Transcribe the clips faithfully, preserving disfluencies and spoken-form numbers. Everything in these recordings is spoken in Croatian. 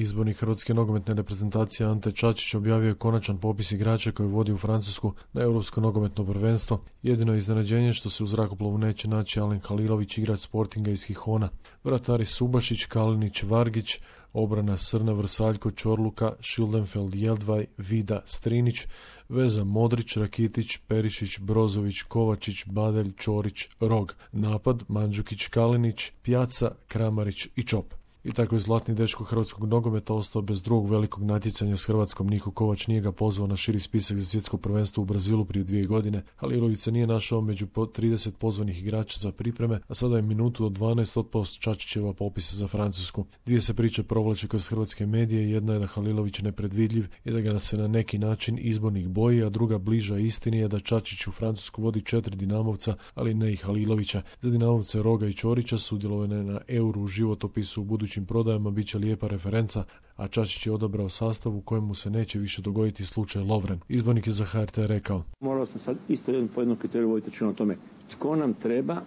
Izbornik hrvatske nogometne reprezentacije Ante Čačić objavio je konačan popis igrača koji vodi u Francusku na Europsko nogometno prvenstvo. Jedino iznenađenje što se u zrakoplovu neće naći Alen Halilović, igrač Sportinga iz Gijona. Vratari Subašić, Kalinić, Vargić, obrana Srna, Vrsaljko, Čorluka, Schildenfeld, Jeldvaj, Vida, Strinić, veza Modrić, Rakitić, Perišić, Brozović, Kovačić, Badelj, Čorić, Rog, napad Mandžukić, Kalinić, Pjaca, Kramarić i Čop. I tako je zlatni dečko hrvatskog nogometa ostao bez drugog velikog natjecanja s Hrvatskom. Niko Kovač nije ga pozvao na širi spisak za svjetsko prvenstvo u Brazilu prije dvije godine. Halilović se nije našao među trideset pozvanih igrača za pripreme, a sada je minutu od dvanaest otpao s Čačićeva popisa za Francusku. Dvije se priče provlače kroz hrvatske medije. Jedna je da Halilović nepredvidljiv i da ga se na neki način izbornik boji, a druga bliža istini je da Čačić u Francusku vodi četiri Dinamovca, ali ne i Halilovića. Za Dinamovce Roga i Čorića sudjelovane na Euru u životopisu u budućim prodajama bit će lijepa referenca, a Čačić je odabrao sastav u kojemu se neće više dogoditi slučaj Lovren. Izbornik je za H R T rekao: Morao sam sad isto jednom po jednom kriteriju voditi računa o tome tko nam treba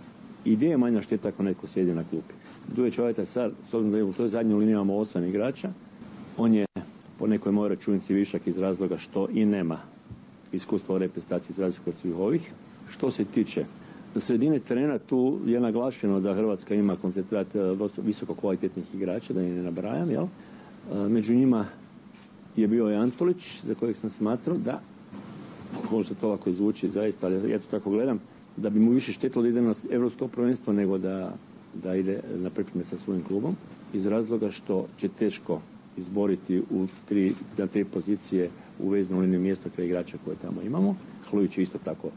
i gdje je manja šteta ako neko sjedi na klupi. Duje Čovjeta sad, s obzirom da u toj zadnjoj liniji imamo osam igrača, on je po nekoj mojoj računici višak iz razloga što i nema iskustva u reprezentaciji za razliku od svih ovih. Što se tiče sredine terena, tu je naglašeno da Hrvatska ima koncentrat visoko kvalitetnih igrača, da ih ne nabrajam, jel? Među njima je bio i Antolić, za kojeg sam smatrao da, možda to ovako izvuči zaista, ali ja to tako gledam, da bi mu više štetilo da ide na Europsko prvenstvo nego da, da ide na pripreme sa svojim klubom, iz razloga što će teško izboriti u tri, na tri pozicije u veznu liniju mjesta kraj igrača koje tamo imamo. Hlujić je isto tako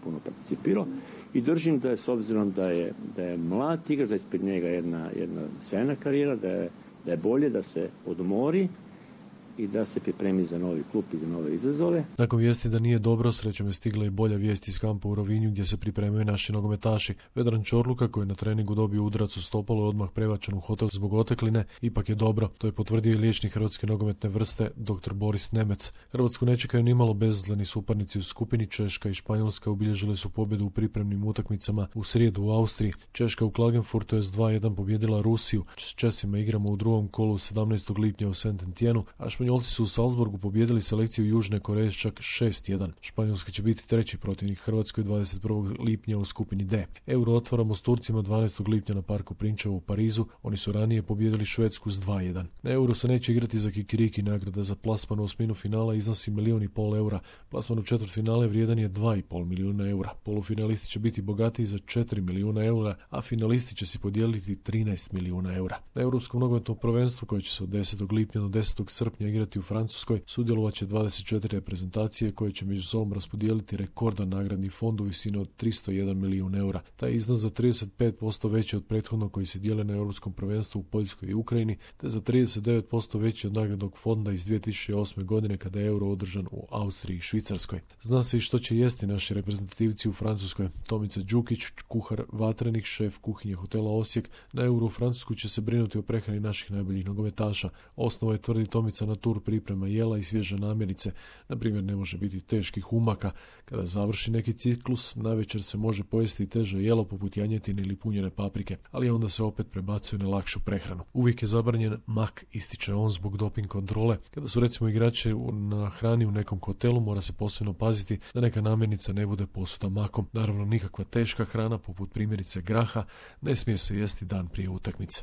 puno participirao i držim da je, s obzirom da je, da je mlad igrač, da je ispred njega jedna, jedna sjajna karijera, da je, da je bolje da se odmori i da se pripremi za novi klub i za nove izazove. Nakon vijesti da nije dobro, srećom je stigla i bolja vijest iz kampa u Rovinju gdje se pripremaju naši nogometaši. Vedran Čorluka, koji je na treningu dobio udarac u stopalo i odmah prebačen u hotel zbog otekline, ipak je dobro. To je potvrdio i liječnik hrvatske nogometne vrste dr. Boris Nemec. Hrvatsku ne čekaju nimalo bezazleni suparnici u skupini. Češka i Španjolska obilježile su pobjedu u pripremnim utakmicama u srijedu u Austriji. Češka u Klagenfurtu je s dva jedan pobjedila Rusiju. S Česima igramo u drugom kolu sedamnaestog lipnja u Saint-Etienneu, a Španjolci su u Salzburgu pobijedili selekciju Južne Koreje čak šest jedan. Španjolska će biti treći protivnik Hrvatskoj dvadeset prvog lipnja u skupini D. Euro otvaramo s Turcima dvanaestog lipnja na Parku Prinčevo u Parizu. Oni su ranije pobijedili Švedsku s dva jedan. Na Euro se neće igrati za kikiriki. Nagrada za plasman u osminu finala iznosi milijun i pol eura. Plasman u četvrtfinale vrijedan je dva i pol milijuna eura. Polufinalisti će biti bogatiji za četiri milijuna eura, a finalisti će si podijeliti trinaest milijuna eura. Na Europskom nogometnom prvenstvu koje će se od desetog lipnja do desetog srpnja igrati u Francuskoj sudjelovat će dvadeset četiri reprezentacije koje će među sobom raspodijeliti rekordan nagradni fond u visini od tristo jedan milijun eura. Taj iznos za trideset pet posto veći od prethodnog koji se dijele na Europskom prvenstvu u Poljskoj i Ukrajini, te za trideset devet posto veći od nagradnog fonda iz dvije tisuće osme godine kada je Euro održan u Austriji i Švicarskoj. Zna se i što će jesti naši reprezentativci u Francuskoj. Tomica Đukić, kuhar Vatrenik, šef kuhinje hotela Osijek, na Euro u Francusku će se brinuti o prehrani naših najboljih nogometaša. Osnova je, tvrdi Tomica, na tur priprema jela i svježe namirnice. Na primjer, ne može biti teških umaka. Kada završi neki ciklus, navečer se može pojesti teže jelo poput janjetine ili punjene paprike, ali onda se opet prebacuje na lakšu prehranu. Uvijek je zabranjen mak, ističe on, zbog doping kontrole. Kada su recimo igrači na hrani u nekom hotelu, mora se posebno paziti da neka namirnica ne bude posuta makom. Naravno, nikakva teška hrana poput primjerice graha ne smije se jesti dan prije utakmice.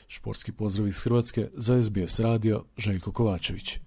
Športski pozdrav iz Hrvatske, za S B S radio, Željko Kovačević.